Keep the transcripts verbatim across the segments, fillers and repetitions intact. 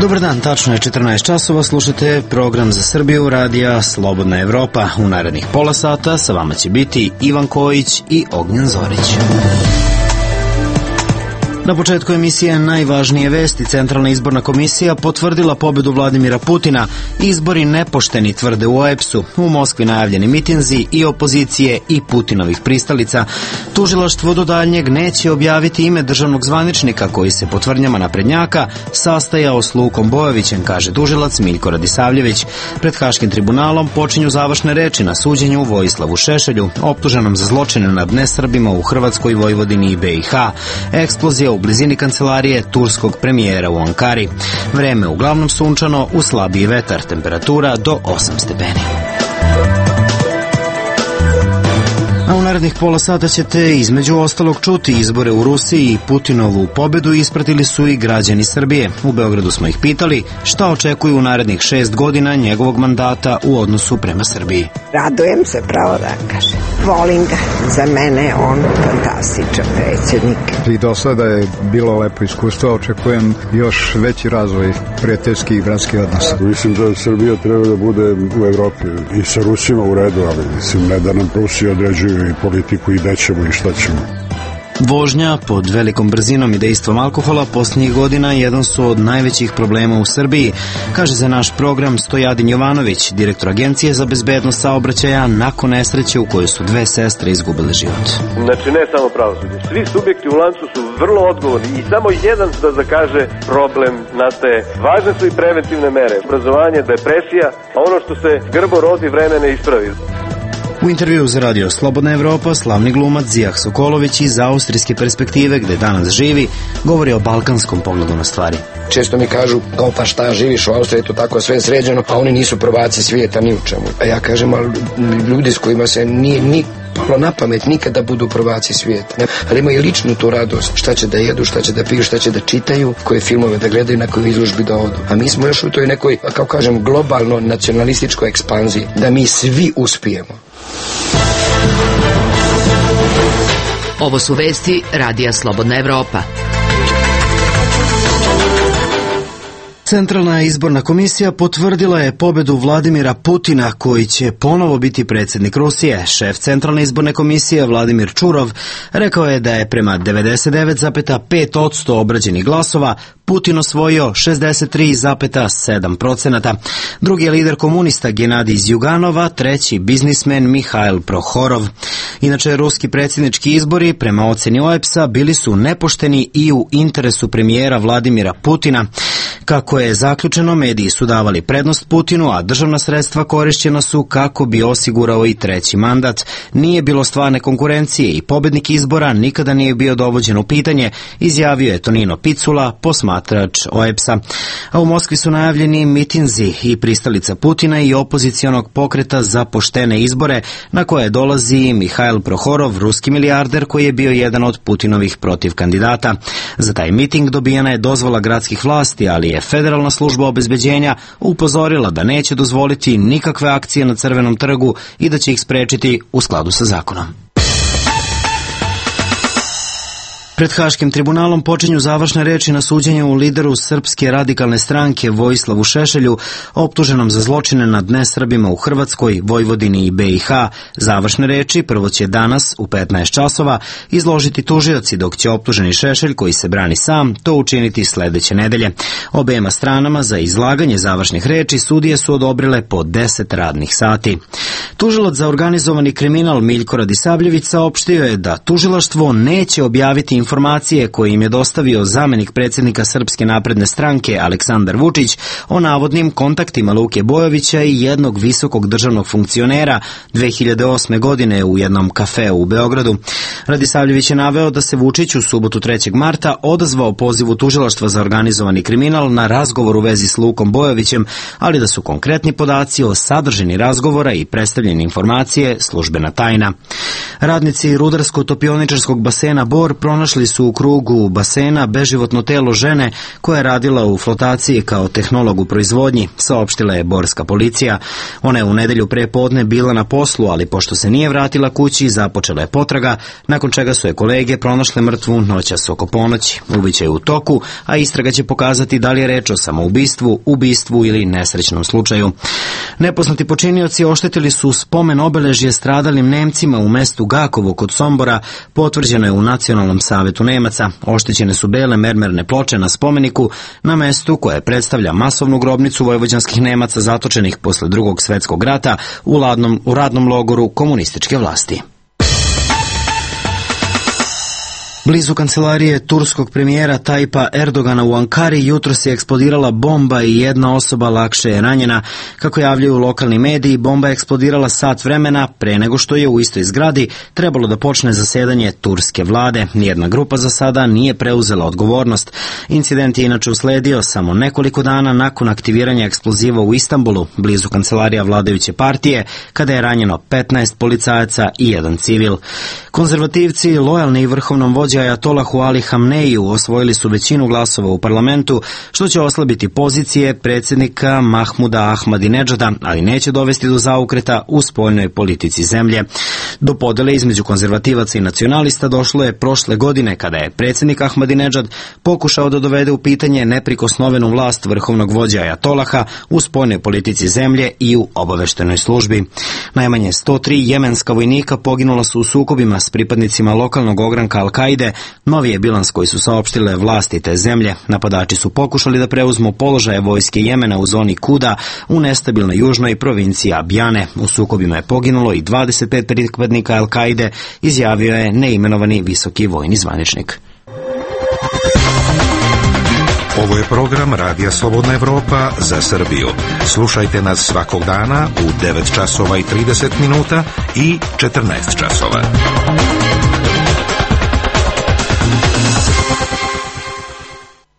Dobar dan, tačno je četrnaest časova, slušate program za Srbiju radija Slobodna Evropa. U narednih pola sata sa vama će biti Ivan Kojić i Ognjen Zorić. Na početku emisije najvažnije vesti. Centralna izborna komisija potvrdila pobedu Vladimira Putina. Izbori nepošteni, tvrde u O E P S-u. U Moskvi najavljeni mitinzi i opozicije i Putinovih pristalica. Tužilaštvo do daljnjeg neće objaviti ime državnog zvaničnika koji se po tvrdnjama naprednjaka sastajao s Lukom Bojovićem, kaže tužilac Miljko Radisavljević. Pred Haškim tribunalom počinju završne reči na suđenju Vojislavu Šešelju, optuženom za zločine nad nesrbima u Hrvatskoj, Vojvodini i B i H. Eksplozija u blizini kancelarije turskog premijera u Ankari. Vreme uglavnom sunčano, uz slabiji vetar, temperatura do osam stepeni. A u narednih pola sata ćete između ostalog čuti izbore u Rusiji i Putinovu pobedu ispratili su i građani Srbije. U Beogradu smo ih pitali šta očekuju u narednih šest godina njegovog mandata u odnosu prema Srbiji. Radujem se, pravo da kažem. Volim ga. Za mene je on fantastičan predsjednik. I do sada je bilo lepo iskustvo, očekujem još veći razvoj prijateljskih i bratskih odnosa. Mislim da Srbija treba da bude u Evropi i sa Rusima u redu, ali mislim ne da nam Rusi određuju i politiku i gde ćemo i šta ćemo. Vožnja pod velikom brzinom i dejstvom alkohola posljednjih godina jedan su od najvećih problema u Srbiji, kaže za naš program Stojadin Jovanović, direktor Agencije za bezbednost saobraćaja nakon nesreće u kojoj su dve sestre izgubile život. Znači ne samo pravosuđe, svi subjekti u lancu su vrlo odgovorni i samo jedan da zakaže problem nastaje. Važne su i preventivne mere, obrazovanje, depresija, a ono što se grbo rodi vreme ne ispravi. U intervju za radio Slobodna Evropa slavni glumac Zijah Sokolović iz austrijske perspektive gde danas živi govori o balkanskom pogledu na stvari. Često mi kažu, kao pa šta, živiš u Austriji, to tako sve sređeno, a oni nisu prvaci svijeta ni u čemu. A ja kažem, ali ljudi s kojima se nije ni palo na pamet nikada budu prvaci svijeta. Ali imaju ličnu tu radost, šta će da jedu, šta će da piju, šta će da čitaju, koje filmove da gledaju, na koju izložbi da odu. A mi smo još u toj nekoj, kao kažem, globalno nacionalističkoj ekspanziji, da mi svi uspijemo. Ovo su vesti radija Slobodna Evropa. Centralna izborna komisija potvrdila je pobedu Vladimira Putina koji će ponovo biti predsjednik Rusije. Šef Centralne izborne komisije Vladimir Čurov rekao je da je prema devedeset devet zarez pet posto obrađenih glasova Putin osvojio šezdeset tri zarez sedam procenata. Drugi je lider komunista Genadij Zjuganov, a treći biznismen Mihail Prohorov. Inače, ruski predsjednički izbori prema oceni O E P S-a bili su nepošteni i u interesu premijera Vladimira Putina. Kako je zaključeno, mediji su davali prednost Putinu, a državna sredstva korišćena su kako bi osigurao i treći mandat. Nije bilo stvarne konkurencije i pobednik izbora nikada nije bio dovođen u pitanje, izjavio je Tonino Picula, posmatrač O E P S-a. A u Moskvi su najavljeni mitinzi i pristalica Putina i opozicionog pokreta za poštene izbore, na koje dolazi Mihail Prohorov, ruski milijarder koji je bio jedan od Putinovih protiv kandidata. Za taj miting dobijena je dozvola gradskih vlasti, ali je Federalna služba obezbeđenja upozorila da neće dozvoliti nikakve akcije na Crvenom trgu i da će ih sprečiti u skladu sa zakonom. Pred Haškim tribunalom počinju završne reči na suđenju lideru Srpske radikalne stranke Vojislavu Šešelju, optuženom za zločine nad nesrbima u Hrvatskoj, Vojvodini i B i H. Završne reči prvo će danas u petnaest časova izložiti tužioci, dok će optuženi Šešelj, koji se brani sam, to učiniti sledeće nedelje. Obema stranama za izlaganje završnih reči sudije su odobrile po deset radnih sati. Tužilac za organizovani kriminal Miljko Radisavljević saopštio je da tužilaštvo neće objaviti informacije koje im je dostavio zamenik predsjednika Srpske napredne stranke Aleksandar Vučić o navodnim kontaktima Luke Bojovića i jednog visokog državnog funkcionera dve hiljade osme. godine u jednom kafeu u Beogradu. Radisavljević je naveo da se Vučić u subotu trećeg marta odazvao pozivu tužilaštva za organizovani kriminal na razgovor u vezi s Lukom Bojovićem, ali da su konkretni podaci o sadržini razgovora i predstavljene informacije službena tajna. Radnici rudarsko-topioničarskog basena Bor pronašli našli su u krugu basena beživotno telo žene koja je radila u flotaciji kao tehnolog u proizvodnji, saopštila je borska policija. Ona je u nedelju pre podne bila na poslu, ali pošto se nije vratila kući, započela je potraga, nakon čega su je kolege pronašle mrtvu noćas oko ponoći. Ubiće je u toku, a istraga će pokazati da li je reč o samoubistvu, ubistvu ili nesrećnom slučaju. Nepoznati počinioci oštetili su spomen obeležje stradalim Nemcima u mestu Gakovo kod Sombora, potvrđeno je u Nacionalnom savetu Nemaca. Oštećene su bele mermerne ploče na spomeniku na mestu koje predstavlja masovnu grobnicu vojvođanskih Nemaca zatočenih posle drugog svetskog rata u, ladnom, u radnom logoru komunističke vlasti. Blizu kancelarije turskog premijera Tajpa Erdogana u Ankari jutros je eksplodirala bomba i jedna osoba lakše je ranjena. Kako javljaju lokalni mediji, bomba je eksplodirala sat vremena pre nego što je u istoj zgradi trebalo da počne zasedanje turske vlade. Nijedna grupa za sada nije preuzela odgovornost. Incident je inače usledio samo nekoliko dana nakon aktiviranja eksploziva u Istanbulu, blizu kancelarija vladajuće partije, kada je ranjeno petnaest policajaca i jedan civil. Konzervativci, lojalni vrhovnom vođi Ajatolahu Ali Hamneiju, osvojili su većinu glasova u parlamentu, što će oslabiti pozicije predsjednika Mahmuda Ahmadinedžada, ali neće dovesti do zaokreta u spoljnoj politici zemlje. Do podele između konzervativaca i nacionalista došlo je prošle godine, kada je predsjednik Ahmadinedžad pokušao da dovede u pitanje neprikosnovenu vlast vrhovnog vođa Ajatolaha u spoljnoj politici zemlje i u obaveštenoj službi. Najmanje sto tri jemenska vojnika poginula su u sukobima s pripadnicima lokalnog ogranka Al-Kaide. Novi je bilans koji su saopštile vlasti te zemlje. Napadači su pokušali da preuzmu položaje vojske Jemena u zoni Kuda u nestabilnoj južnoj provinciji Abjane. U sukobima je poginulo i dvadeset pet pripadnika Al-Kaide, izjavio je neimenovani visoki vojni zvaničnik. Ovo je program Radija Slobodna Evropa za Srbiju. Slušajte nas svakog dana u devet časova i trideset minuta i četrnaest časova.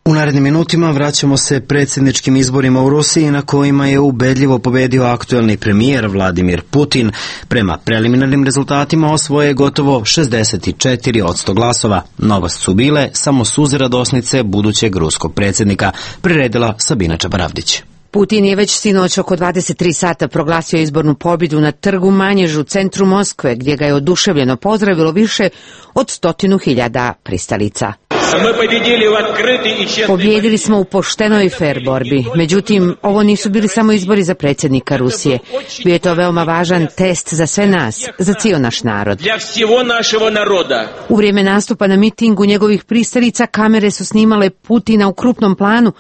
U narednim minutima vraćamo se predsjedničkim izborima u Rusiji na kojima je ubedljivo pobedio aktuelni premijer Vladimir Putin. Prema preliminarnim rezultatima osvoje je gotovo šezdeset četiri posto glasova. Novost su bile samo suze radosnice budućeg ruskog predsjednika, priredila Sabina Čabaravdić. Putin je već sinoć oko dvadeset tri sata proglasio izbornu pobjedu na trgu Manjež u centru Moskve, gdje ga je oduševljeno pozdravilo više od stotinu hiljada pristalica. Pobjedili smo u poštenoj i fer borbi. Međutim, ovo nisu bili samo izbori za predsjednika Rusije. Bio je to veoma važan test za sve nas, za cijel naš narod. U vrijeme nastupa na mitingu njegovih pristalica kamere su snimale Putina u krupnom planu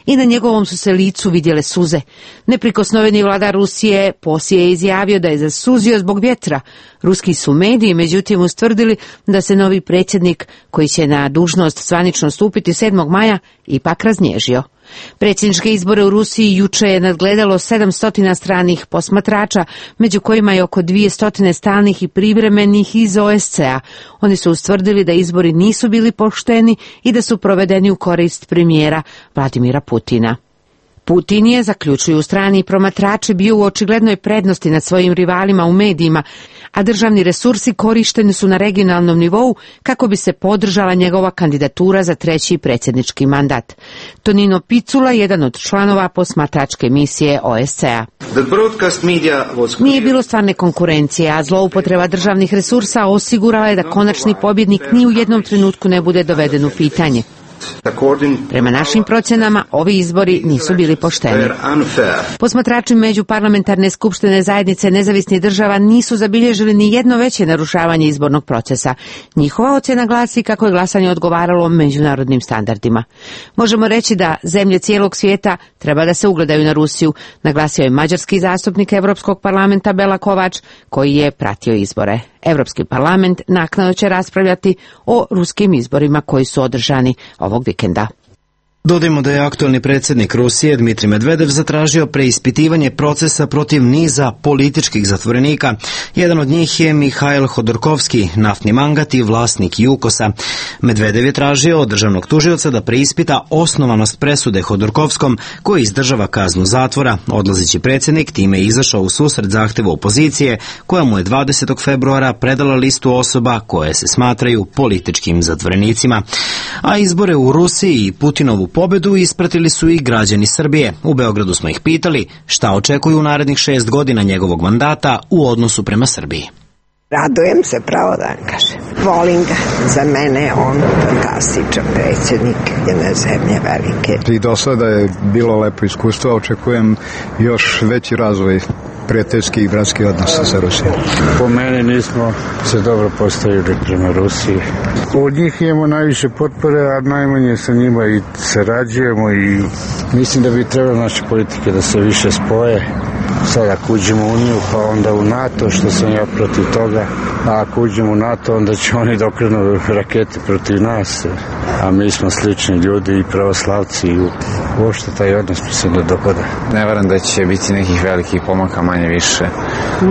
i na njegovom su se licu vidjele suze. Neprikosnoveni vladar Rusije poslije je izjavio da je zasuzio zbog vjetra. Ruski su mediji međutim ustvrdili da se novi predsjednik, koji će na dužnost zvanično stupiti sedmog maja, ipak raznježio. Predsjedničke izbore u Rusiji juče je nadgledalo sedamsto stranih posmatrača, među kojima je oko dvjesto stalnih i privremenih iz O S C E a. Oni su ustvrdili da izbori nisu bili pošteni i da su provedeni u korist premijera Vladimira Putina. Putin je, zaključuju strani promatrači, bio u očiglednoj prednosti nad svojim rivalima u medijima, a državni resursi korišteni su na regionalnom nivou kako bi se podržala njegova kandidatura za treći predsjednički mandat. Tonino Picula, jedan od članova posmatračke misije O S C E a. Nije bilo stvarne konkurencije, a zloupotreba državnih resursa osigurala je da konačni pobjednik ni u jednom trenutku ne bude doveden u pitanje. Prema našim procjenama, ovi izbori nisu bili pošteni. Posmatrači Međuparlamentarne skupštine zajednice nezavisnih država nisu zabilježili ni jedno veće narušavanje izbornog procesa. Njihova ocjena glasi kako je glasanje odgovaralo međunarodnim standardima. Možemo reći da zemlje cijelog svijeta treba da se ugledaju na Rusiju, naglasio je mađarski zastupnik Europskog parlamenta Bela Kovač, koji je pratio izbore. Europski parlament naknadno će raspravljati o ruskim izborima koji su održani ovog vikenda. Dodajmo da je aktualni predsjednik Rusije Dmitrij Medvedev zatražio preispitivanje procesa protiv niza političkih zatvorenika. Jedan od njih je Mihail Hodorkovski, naftni mangat i vlasnik Jukosa. Medvedev je tražio od državnog tužioca da preispita osnovanost presude Hodorkovskom, koji izdržava kaznu zatvora. Odlazeći predsjednik time je izašao u susret zahtevu opozicije, koja mu je dvadesetog februara predala listu osoba koje se smatraju političkim zatvorenicima. A izbore u Rusiji i Putinovu pobedu ispratili su i građani Srbije. U Beogradu smo ih pitali šta očekuju u narednih šest godina njegovog mandata u odnosu prema Srbiji. Radujem se, pravo da vam kažem. Volim ga. Za mene je on fantastičan predsjednik jedne zemlje velike. I do sada je bilo lepo iskustvo, očekujem još veći razvoj prijateljskih i bratskih odnosa sa Rusijom. Po meni nismo se dobro postavili prema Rusiji. Od njih imamo najviše potpore, a najmanje sa njima i sarađujemo i mislim da bi trebalo naše politike da se više spoje. Sad ako uđemo u Uniju, pa onda u NATO, što sam ja protiv toga, a ako uđemo u NATO, onda će oni dokrenu rakete protiv nas, a mi smo slični ljudi i pravoslavci i uopšte taj odnos mi se ne dopada. Ne verujem da će biti nekih velikih pomaka, manje više,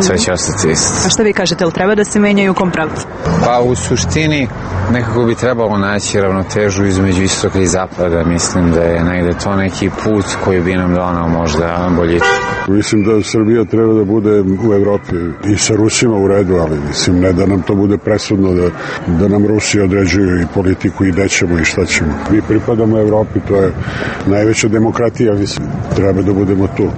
sve će ostati isto. A šta vi kažete, ili treba da se menjaju u kom pravcu? Pa u suštini nekako bi trebalo naći ravnotežu između istoka i zapada, mislim da je negde to neki put koji bi nam donao možda boljiče. Mislim da Srbija treba da bude u Evropi i sa Rusima u redu, ali mislim ne da nam to bude presudno, da, da nam Rusi određuju i politiku i gde ćemo i šta ćemo. Mi pripadamo Evropi, to je najveća demokratija, mislim, treba da budemo tu.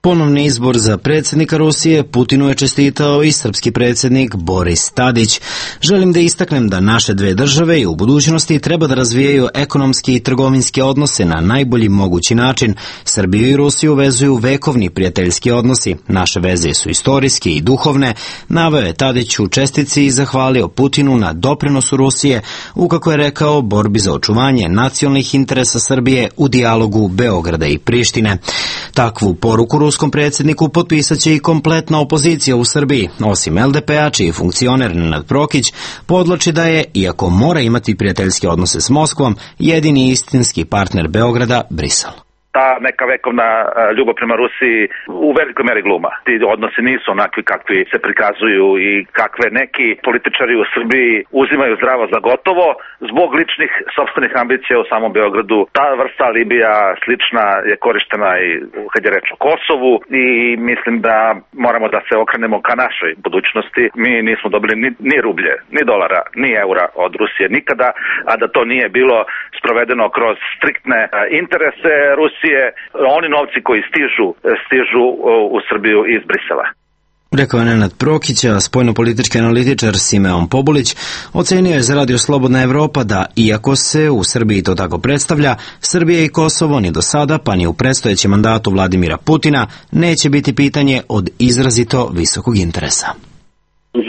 Ponovni izbor za predsjednika Rusije Putinu je čestitao i srpski predsjednik Boris Tadić. Želim da istaknem da naše dve države i u budućnosti treba da razvijaju ekonomski i trgovinske odnose na najbolji mogući način. Srbiju i Rusiju vezuju vekovni prijateljski odnosi. Naše veze su istorijske i duhovne. Naveo je Tadić u čestitci i zahvalio Putinu na doprinosu Rusije u, kako je rekao, borbi za očuvanje nacionalnih interesa Srbije u dijalogu Beograda i Prištine. Takvu poruku ruskom predsjedniku potpisat će i kompletna opozicija u Srbiji. Osim el de pe-a, čiji funkcioner Nenad Prokić podlači da je, iako mora imati prijateljske odnose s Moskvom, jedini istinski partner Beograda Brisel. Ta neka vekovna ljubav prema Rusiji u velikoj meri gluma. Ti odnosi nisu onakvi kakvi se prikazuju i kakve neki političari u Srbiji uzimaju zdravo za gotovo zbog ličnih sopstvenih ambicija u samom Beogradu. Ta vrsta alibija slična je korištena i kad je reč o Kosovu i mislim da moramo da se okrenemo ka našoj budućnosti. Mi nismo dobili ni, ni rublje, ni dolara, ni eura od Rusije nikada, a da to nije bilo sprovedeno kroz striktne interese Rusije. Oni novci koji stižu, stižu u Srbiju iz Brisela. Rekao je Nenad Prokić, a spoljnopolitički analitičar Simeon Pobulić ocenio je za Radio Slobodna Evropa da, iako se u Srbiji to tako predstavlja, Srbija i Kosovo ni do sada, pa ni u predstojećem mandatu Vladimira Putina, neće biti pitanje od izrazito visokog interesa.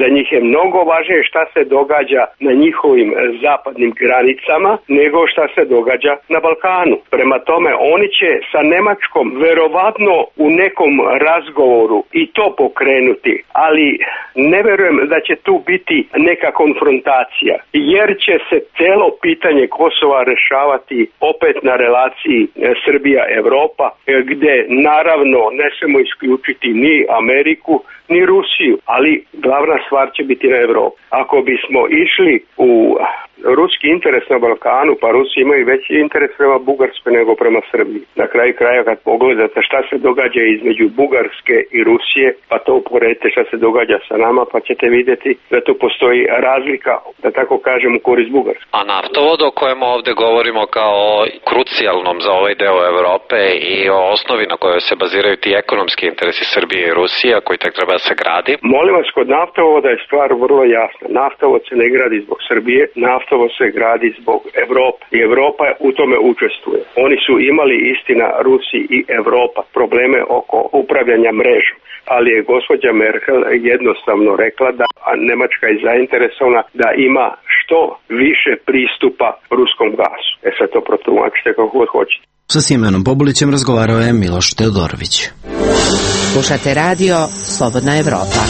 Za njih je mnogo važnije šta se događa na njihovim zapadnim granicama nego šta se događa na Balkanu. Prema tome, oni će sa Nemačkom verovatno u nekom razgovoru i to pokrenuti, ali ne verujem da će tu biti neka konfrontacija, jer će se celo pitanje Kosova rešavati opet na relaciji Srbija-Evropa, gde naravno ne smemo isključiti ni Ameriku, ni Rusiju, ali glavna stvar će biti na Evropu. Ako bismo išli u ruski interes na Balkanu, pa Rusi imaju veći interes prema Bugarskoj nego prema Srbiji. Na kraju kraja kad pogledate šta se događa između Bugarske i Rusije, pa to uporedite šta se događa sa nama, pa ćete vidjeti da tu postoji razlika, da tako kažem, u korist Bugarske. A naftovod o kojem ovde govorimo kao krucijalnom za ovaj deo Evrope i o osnovi na kojoj se baziraju ti ekonomski interesi Srbije i Rusije, koji tek treba da se gradi? Molim vas, kod naftovoda je stvar vrlo jasna. Naftovod se ne gradi zbog Srbije, naftovod se gradi zbog Evrope i Evropa u tome učestvuje. Oni su imali, istina, Rusi i Evropa probleme oko upravljanja mrežom, ali je gospođa Merkel jednostavno rekla da Nemačka je zainteresovana da ima što više pristupa ruskom gasu. E sad to protumačite kako god hoćete. Sa Simeonom Pobulićem razgovarao je Miloš Teodorović. Slušate radio Slobodna Evropa.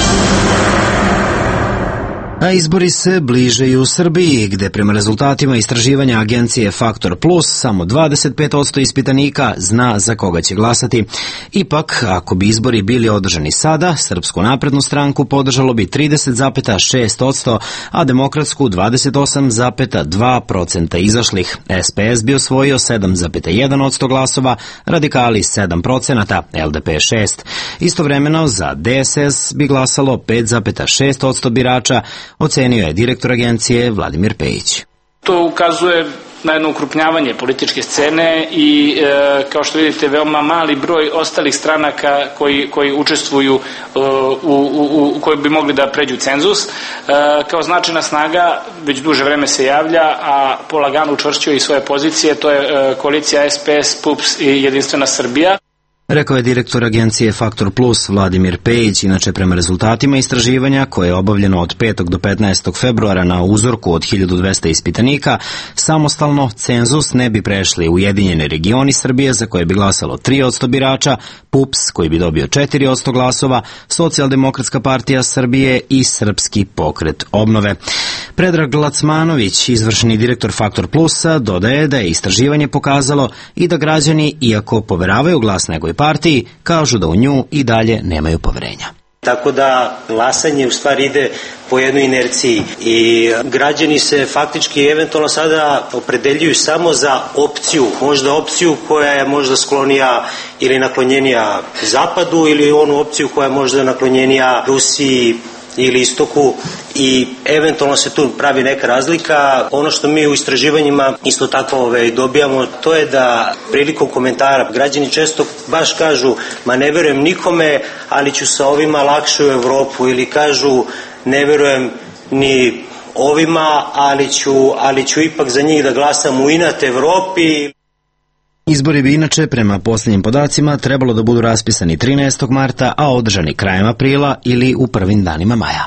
A izbori se bliže i u Srbiji, gde prema rezultatima istraživanja agencije Faktor Plus samo dvadeset pet posto ispitanika zna za koga će glasati. Ipak, ako bi izbori bili održani sada, Srpsku naprednu stranku podržalo bi trideset zarez šest posto, a Demokratsku dvadeset osam zarez dva posto izašlih. S P S bi osvojio sedam zarez jedan posto glasova, Radikali sedam posto, L D P šest posto. Istovremeno za D S S bi glasalo pet zarez šest posto birača, ocenio je direktor agencije Vladimir Pejić. To ukazuje na jedno ukrupnjavanje političke scene i e, kao što vidite veoma mali broj ostalih stranaka koji, koji učestvuju e, u, u, u koji bi mogli da pređu cenzus. E, kao značajna snaga već duže vreme se javlja, a polagano učvršćuje i svoje pozicije, to je e, koalicija S P S, P U P S i Jedinstvena Srbija. Rekao je direktor agencije Faktor Plus Vladimir Pejić. Inače, prema rezultatima istraživanja koje je obavljeno od petog do petnaestog februara na uzorku od hiljadu dvesta ispitanika, samostalno cenzus ne bi prešli Ujedinjeni regioni Srbije za koje bi glasalo tri posto birača, P U P S koji bi dobio četiri posto glasova, Socijaldemokratska partija Srbije i Srpski pokret obnove. Predrag Lacmanović, izvršni direktor Faktor Plusa, dodaje da je istraživanje pokazalo i da građani, iako poveravaju glas nekoj partiji, kažu da u nju i dalje nemaju poverenja. Tako da glasanje u stvari ide po jednoj inerciji i građani se faktički eventualno sada opredeljuju samo za opciju, možda opciju koja je možda sklonija ili naklonjenija Zapadu ili onu opciju koja je možda naklonjenija Rusiji ili istoku i eventualno se tu pravi neka razlika. Ono što mi u istraživanjima isto tako ove, dobijamo, to je da prilikom komentara građani često baš kažu ma ne verujem nikome, ali ću sa ovima lakše u Evropu, ili kažu ne verujem ni ovima, ali ću, ali ću ipak za njih da glasam u inat Evropi. Izbori bi inače, prema posljednjim podacima, trebalo da budu raspisani trinaestog marta, a održani krajem aprila ili u prvim danima maja.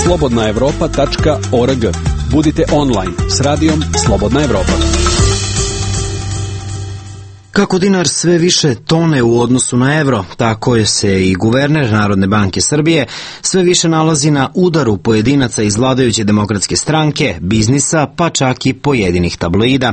slobodna evropa tačka org. Budite online s radijom Slobodna Evropa. Kako dinar sve više tone u odnosu na evro, tako je se i guverner Narodne banke Srbije sve više nalazi na udaru pojedinaca iz vladajuće demokratske stranke, biznisa, pa čak i pojedinih tabloida.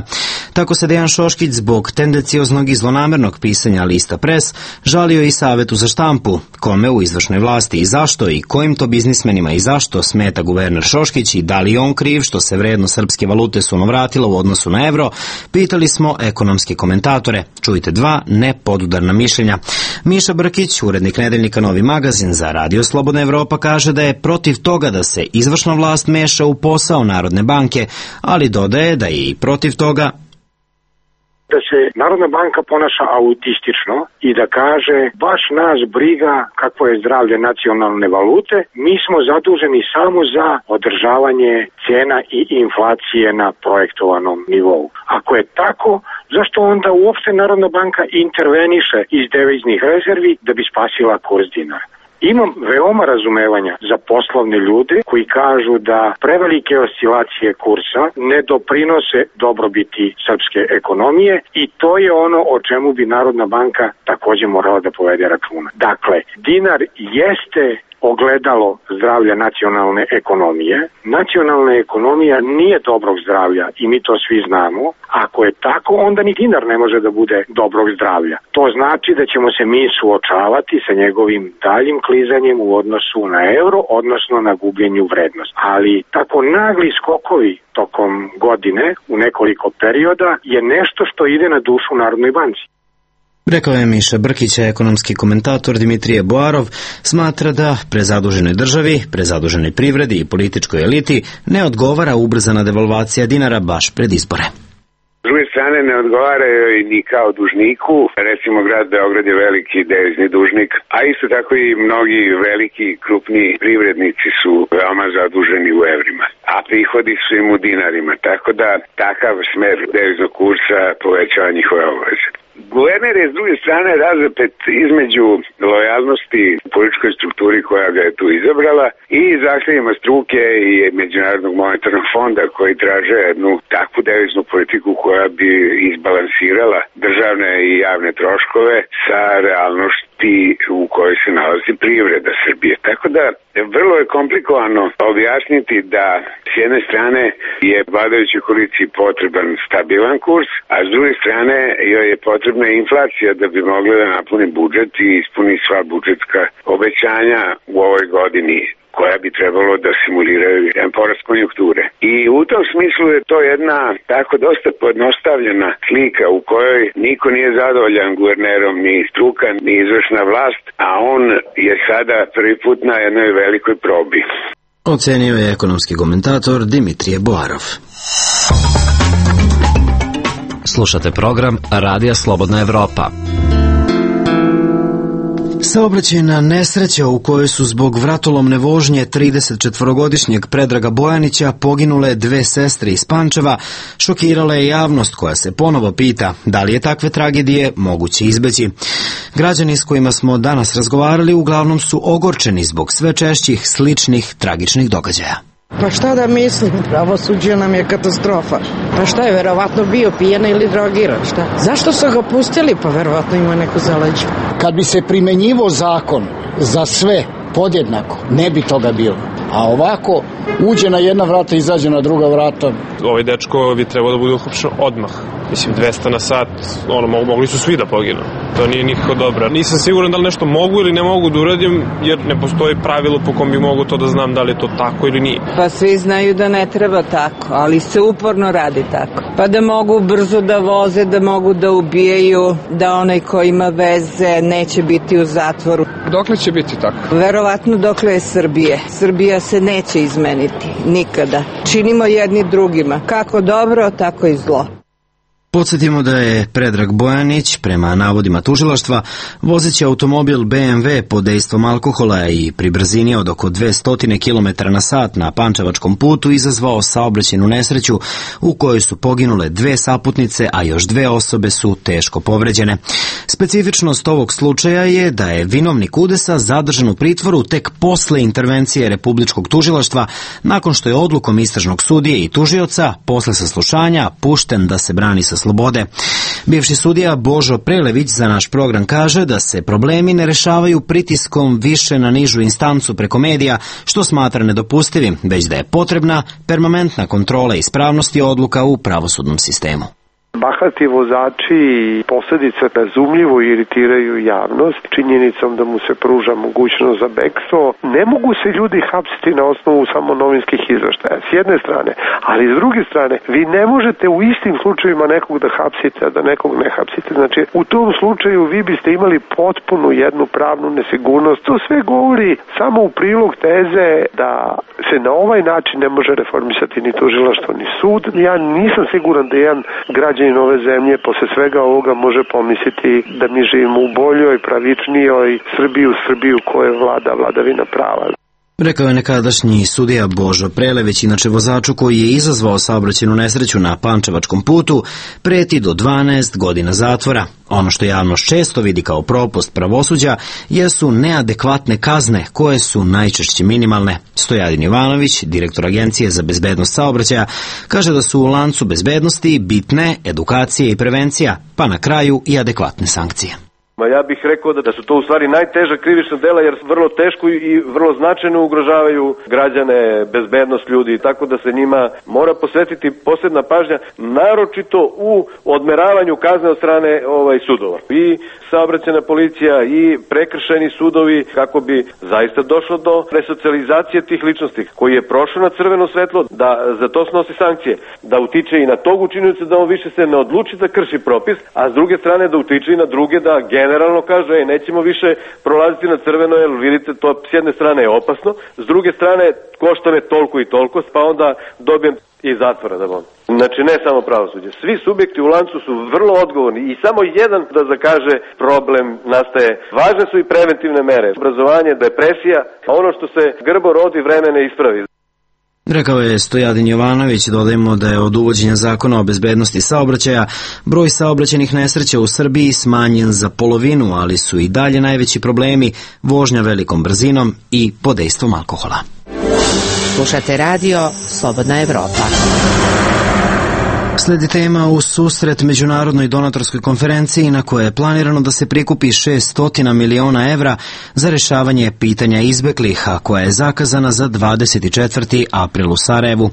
Tako se Dejan Šoškić zbog tendencioznog i zlonamernog pisanja lista Pres žalio i Savetu za štampu, kome u izvršnoj vlasti i zašto i kojim to biznismenima i zašto smeta guverner Šoškić i da li on kriv što se vrednost srpske valute sunovratila u odnosu na evro, pitali smo ekonomske komentatore. Čujte dva nepodudarna mišljenja. Miša Brkić, urednik nedeljnika Novi magazin za Radio Slobodna Evropa, kaže da je protiv toga da se izvršna vlast meša u posao Narodne banke, ali dodaje da je i protiv toga da se Narodna banka ponaša autistično i da kaže baš nas briga kakvo je zdravlje nacionalne valute, mi smo zaduženi samo za održavanje cena i inflacije na projektovanom nivou. Ako je tako, zašto onda uopšte Narodna banka interveniše iz deviznih rezervi da bi spasila kurs dinara? Imam veoma razumevanja za poslovne ljude koji kažu da prevelike oscilacije kursa ne doprinose dobrobiti srpske ekonomije i to je ono o čemu bi Narodna banka takođe morala da povede računa. Dakle, dinar jeste ogledalo zdravlja nacionalne ekonomije. Nacionalna ekonomija nije dobrog zdravlja i mi to svi znamo. Ako je tako, onda ni dinar ne može da bude dobrog zdravlja. To znači da ćemo se mi suočavati sa njegovim daljim klizanjem u odnosu na euro, odnosno na gubljenju vrednosti. Ali tako nagli skokovi tokom godine u nekoliko perioda je nešto što ide na dušu Narodnoj banci. Rekao je Miša Brkić, ekonomski komentator Dimitrije Boarov smatra da prezaduženoj državi, prezaduženoj privredi i političkoj eliti ne odgovara ubrzana devalvacija dinara baš pred izbore. S druge strane ne odgovaraju i ni kao dužniku, recimo grad Beograd je veliki devizni dužnik, a isto tako i mnogi veliki krupni privrednici su veoma zaduženi u evrima, a prihodi su im u dinarima, tako da takav smer deviznog kursa povećava njihove obaveze. Guverner je s druge strane razapet između lojalnosti u političkoj strukturi koja ga je tu izabrala i zahtjevima struke i Međunarodnog monetarnog fonda koji traže jednu takvu deviznu politiku koja bi izbalansirala državne i javne troškove sa realnošću situaciji u kojoj se nalazi privreda Srbije. Tako da vrlo je komplikovano objasniti da s jedne strane je vladajućoj koaliciji potreban stabilan kurs, a s druge strane joj je potrebna inflacija da bi mogla da napuni budžet i ispuni sva budžetska obećanja u ovoj godini, koja bi trebalo da simuliraju jedan porast konjunkture. I u tom smislu je to jedna tako dosta pojednostavljena slika u kojoj niko nije zadovoljan guvernerom, ni struka, ni izvršna vlast, a on je sada prvi put na jednoj velikoj probi. Ocenio je ekonomski komentator Dimitrije Boarov. Slušate program Radija Slobodna Evropa. Saobraćajna nesreća u kojoj su zbog vratolomne vožnje tridesetčetvorogodišnjeg Predraga Bojanića poginule dve sestre iz Pančeva šokirala je javnost koja se ponovo pita da li je takve tragedije moguće izbeći. Građani s kojima smo danas razgovarali uglavnom su ogorčeni zbog sve češćih sličnih tragičnih događaja. Pa šta da mislim, pravosuđe nam je katastrofa. Pa šta je, verovatno bio pijan ili drogiran, šta? Zašto su ga pustili? Pa verovatno ima neku zaleđu. Kad bi se primenjivo zakon za sve podjednako, ne bi toga bilo. A ovako, uđe na jedna vrata, izađe na druga vrata. Ovaj dečko bi trebao da bude uhapšen odmah. Mislim, dvesta na sat, ono, mogli su svi da poginu. To nije nikako dobro. Nisam siguran da li nešto mogu ili ne mogu da uradim, jer ne postoji pravilo po kom bi mogu to da znam da li je to tako ili nije. Pa svi znaju da ne treba tako, ali se uporno radi tako. Pa da mogu brzo da voze, da mogu da ubijaju, da onaj ko ima veze neće biti u zatvoru. Dokle će biti tako? Verovatno dokle je Srbije. Srbija se neće izmeniti, nikada. Činimo jedni drugima, kako dobro, tako i zlo. Podsjetimo da je Predrag Bojanić, prema navodima tužilaštva, vozeći automobil B M W pod dejstvom alkohola i pri brzini od oko dvesta kilometara na sat na Pančevačkom putu izazvao saobraćajnu nesreću u kojoj su poginule dve saputnice, a još dve osobe su teško povređene. Specifičnost ovog slučaja je da je vinovnik udesa zadržan u pritvoru tek posle intervencije Republičkog tužilaštva, nakon što je odlukom istražnog sudije i tužioca posle saslušanja pušten da se brani sa slobode. Bivši sudija Božo Prelević za naš program kaže da se problemi ne rešavaju pritiskom više na nižu instancu preko medija, što smatra nedopustivim, već da je potrebna permanentna kontrola ispravnosti odluka u pravosudnom sistemu. Bahati vozači i posljedice razumljivo iritiraju javnost činjenicom da mu se pruža mogućnost za bekstvo. Ne mogu se ljudi hapsiti na osnovu samo novinskih izveštaja, s jedne strane, ali s druge strane, vi ne možete u istim slučajevima nekog da hapsite, a da nekog ne hapsite. Znači, u tom slučaju vi biste imali potpunu jednu pravnu nesigurnost. To sve govori samo u prilog teze da se na ovaj način ne može reformisati ni tužilaštvo, ni sud. Ja nisam siguran da jedan građanin ove zemlje posle svega ovoga može pomisliti da mi živimo u boljoj, pravičnijoj Srbiji, u Srbiju koje vlada vladavina prava. Rekao je nekadašnji sudija Božo Prelević, inače vozaču koji je izazvao saobraćajnu nesreću na Pančevačkom putu, preti do dvanaest godina zatvora. Ono što javnost često vidi kao propust pravosuđa jesu neadekvatne kazne koje su najčešće minimalne. Stojadin Jovanović, direktor Agencije za bezbednost saobraćaja, kaže da su u lancu bezbednosti bitne edukacije i prevencija, pa na kraju i adekvatne sankcije. Ja bih rekao da su to u stvari najteža krivična dela jer vrlo teško i vrlo značajno ugrožavaju građane, bezbednost ljudi, tako da se njima mora posvetiti posebna pažnja, naročito u odmeravanju kazne od strane ovaj, sudova. I saobraćajna policija i prekršajni sudovi kako bi zaista došlo do resocijalizacije tih ličnosti koji je prošao na crveno svetlo, da za to snosi sankcije, da utiče i na tog učinioca da on više se ne odluči da krši propis, a s druge strane da utiče i na druge da generalno kaže, ej, nećemo više prolaziti na crveno, jer vidite, to s jedne strane je opasno, s druge strane košta me toliko i toliko, pa onda dobijem i zatvora da bom. Znači, ne samo pravosuđe. Svi subjekti u lancu su vrlo odgovorni i samo jedan da zakaže problem nastaje. Važne su i preventivne mere. Obrazovanje, depresija, a ono što se grbo rodi vreme ne ispravi. Rekao je Stojadin Jovanović. Dodajemo da je od uvođenja zakona o bezbednosti saobraćaja broj saobraćajnih nesreća u Srbiji smanjen za polovinu, ali su i dalje najveći problemi vožnja velikom brzinom i pod dejstvom alkohola. Slušate radio Slobodna Evropa. Sledi tema u susret međunarodnoj donatorskoj konferenciji na kojoj je planirano da se prikupi šessto miliona evra za rješavanje pitanja izbeglih, a koja je zakazana za dvadeset četvrti april u Sarajevu.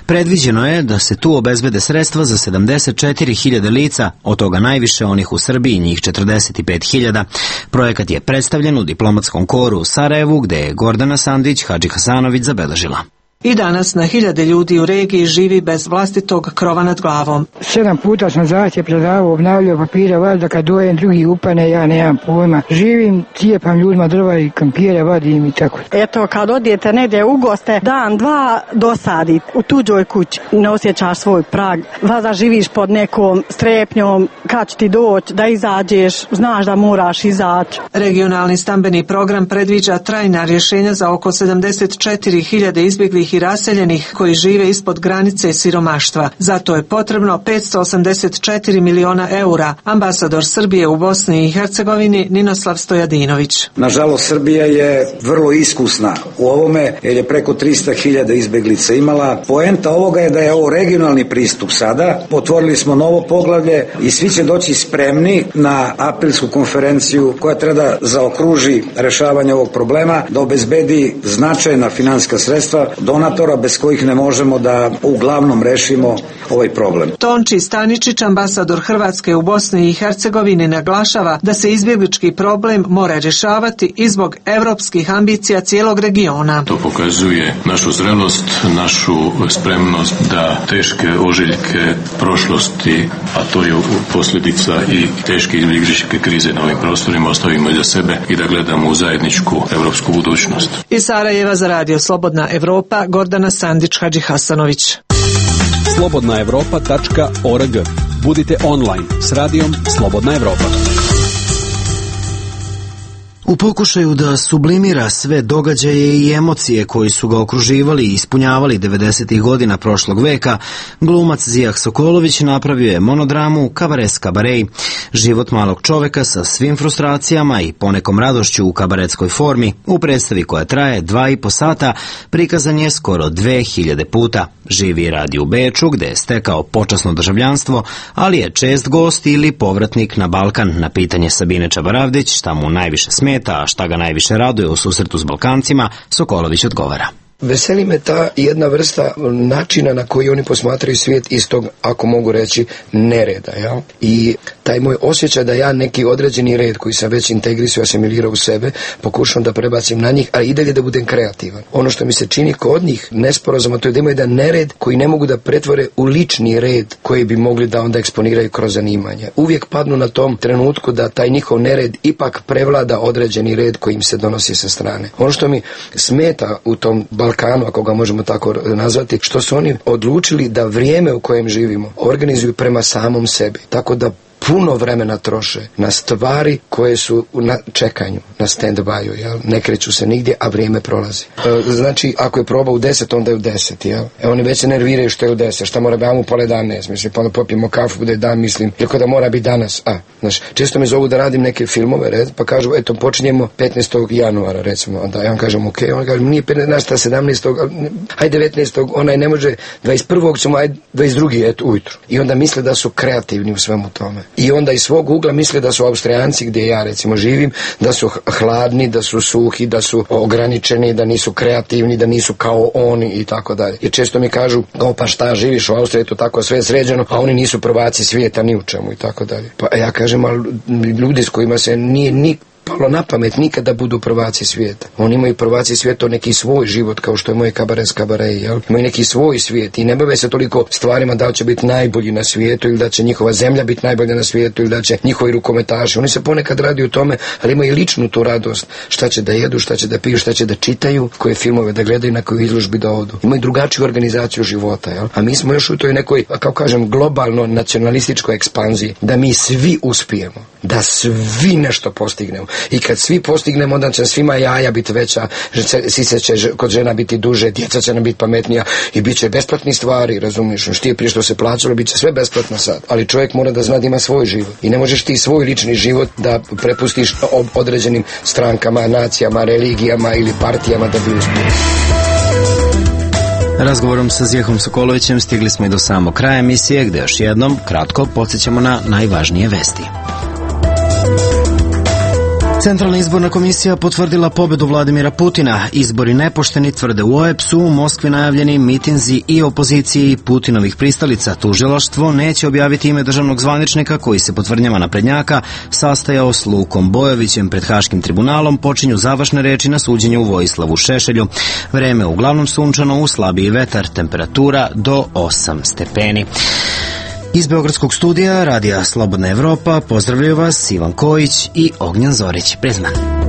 Predviđeno je da se tu obezbede sredstva za sedamdeset četiri hiljade lica, od toga najviše onih u Srbiji, njih četrdeset pet hiljada. Projekat je predstavljen u diplomatskom koru u Sarajevu, gde je Gordana Sandić Hadžihasanović zabeležila. I danas na hiljade ljudi u regiji živi bez vlastitog krova nad glavom. Sedam puta sam zahtjev predavao, obnavljao papire, valjda kad dojem drugi upane, ja nemam pojma. Živim, cijepam ljudima drva i kampire, vadim i tako. Eto, kad odijete negdje u goste, dan, dva dosadi u tuđoj kući, ne osjećaš svoj prag. Valjda živiš pod nekom strepnjom, kad će ti doći da izađeš, znaš da moraš izaći. Regionalni stambeni program predviđa trajna rješenja za oko sedamdeset četiri hiljade izbjeglih i raseljenih koji žive ispod granice siromaštva. Zato je potrebno petsto osamdeset četiri miliona eura. Ambasador Srbije u Bosni i Hercegovini Ninoslav Stojadinović. Nažalost, Srbija je vrlo iskusna u ovome jer je preko tristo hiljada izbeglica imala. Poenta ovoga je da je ovo regionalni pristup sada. Otvorili smo novo poglavlje i svi će doći spremni na aprilsku konferenciju koja treba da zaokruži rešavanje ovog problema, da obezbedi značajna finansijska sredstva donatora bez kojih ne možemo da uglavnom rešimo ovaj problem. Tonči Staničić, ambasador Hrvatske u Bosni i Hercegovini, naglašava da se izbjeglički problem mora rješavati i zbog evropskih ambicija cijelog regiona. To pokazuje našu zrelost, našu spremnost da teške ožiljke prošlosti, a to je posljedica i teške izbjegličke krize na ovim prostorima, ostavimo iza sebe i da gledamo u zajedničku evropsku budućnost. Iz Sarajeva za Radio Slobodna Evropa, Gordana Sandić Hadžihasanović. slobodna evropa tačka org. Budite online s radijom Slobodna Evropa. U pokušaju da sublimira sve događaje i emocije koji su ga okruživali i ispunjavali devedesetih godina prošlog veka, glumac Zijah Sokolović napravio je monodramu Kabares kabarej. Život malog čoveka sa svim frustracijama i ponekom radošću u kabaretskoj formi, u predstavi koja traje dva i po sata, prikazan je skoro dve hiljade puta. Živi i radi u Beču, gde je stekao počasno državljanstvo, ali je čest gost ili povratnik na Balkan. Na pitanje Sabine Čabaravdić šta mu najviše smeta, a šta ga najviše raduje u susretu s Balkancima, Sokolović odgovara. Veseli me ta jedna vrsta načina na koji oni posmatraju svijet iz tog, ako mogu reći, nereda. Ja? I taj moj osjećaj da ja neki određeni red koji sam već integrisao, asimilirao u sebe, pokušam da prebacim na njih, ali i dalje da budem kreativan. Ono što mi se čini kod njih nesporazuma, to je da imaju jedan nered koji ne mogu da pretvore u lični red koji bi mogli da onda eksponiraju kroz zanimanje. Uvijek padnu na tom trenutku da taj njihov nered ipak prevlada određeni red koji im se donosi sa strane. Ono što mi smeta u tom Balkanu, ako ga možemo tako nazvati, što su oni odlučili da vrijeme u kojem živimo organizuju prema samom sebi. Tako da puno vremena troše na stvari koje su na čekanju, na stand-by-u, jel? Ne kreću se nigdje, a vrijeme prolazi. E, znači, ako je proba u deset, onda je u deset, jel? E, oni već se nerviraju što je u deset, šta mora biti u pola danaest, mislim, pa onda popijemo kafu, bude dan, mislim, iako da mora biti danas, a, znaš, često me zovu da radim neke filmove, red, pa kažu, eto, počinjemo petnaestog januara, recimo, onda ja vam kažem, ok, on kaže, nije petnaestog, sedamnaestog, aj devetnaestog, onaj ne može, dvadeset prvog ćemo, aj dvadeset drugog eto, ujutru. I onda misle da su kreativni u svemu tome. I onda iz svog ugla misle da su Austrijanci, gdje ja recimo živim, da su hladni, da su suhi, da su ograničeni, da nisu kreativni, da nisu kao oni i tako dalje. Jer često mi kažu, kao pa šta, živiš u Austriji, to tako sve sređeno, a oni nisu prvaci svijeta ni u čemu i tako dalje. Pa ja kažem, ali ljudi s kojima se nije ni palo na pamet nikada budu prvaci svijeta. Oni imaju prvaci svijeta neki svoj život, kao što je moj Kabares kabarej, jel? Imaju neki svoj svijet i ne bave se toliko stvarima da li će biti najbolji na svijetu ili da će njihova zemlja biti najbolja na svijetu ili da će njihovi rukometaši. Oni se ponekad radi u tome, ali imaju ličnu tu radost. Šta će da jedu, šta će da piju, šta će da čitaju, koje filmove da gledaju, na koju izložbi da odu. Imaju drugačiju organizaciju života, jel? A mi smo još u toj nekoj, kao kažem, globalno nacionalističkoj ekspanziji, da mi svi uspijemo, da svi nešto postignemo. I kad svi postignemo, onda će svima jaja biti veća, sise će kod žena biti duže, djeca će nam biti pametnija i bit će besplatni stvari, razumiješ? Što je prije što se plaćalo, bit će sve besplatno sad. Ali čovjek mora da zna da ima svoj život. I ne možeš ti svoj lični život da prepustiš određenim strankama, nacijama, religijama ili partijama da bi uspio. Razgovorom sa Zijehom Sokolovićem stigli smo i do samog kraja emisije, gde još jednom kratko podsjećamo na najvažnije vesti. Centralna izborna komisija potvrdila pobedu Vladimira Putina. Izbori nepošteni, tvrde u O E P S-u, u Moskvi najavljeni mitinzi i opoziciji Putinovih pristalica. Tužilaštvo neće objaviti ime državnog zvaničnika koji se po tvrdnjama naprednjaka sastajao s Lukom Bojovićem pred Haškim tribunalom. Počinju završne reči na suđenju u Vojislavu Šešelju. Vreme uglavnom sunčano, uz slabiji vetar, temperatura do osam stepeni. Iz Beogradskog studija Radija Slobodna Evropa pozdravljaju vas Ivan Kojić i Ognjan Zorić. Prezman.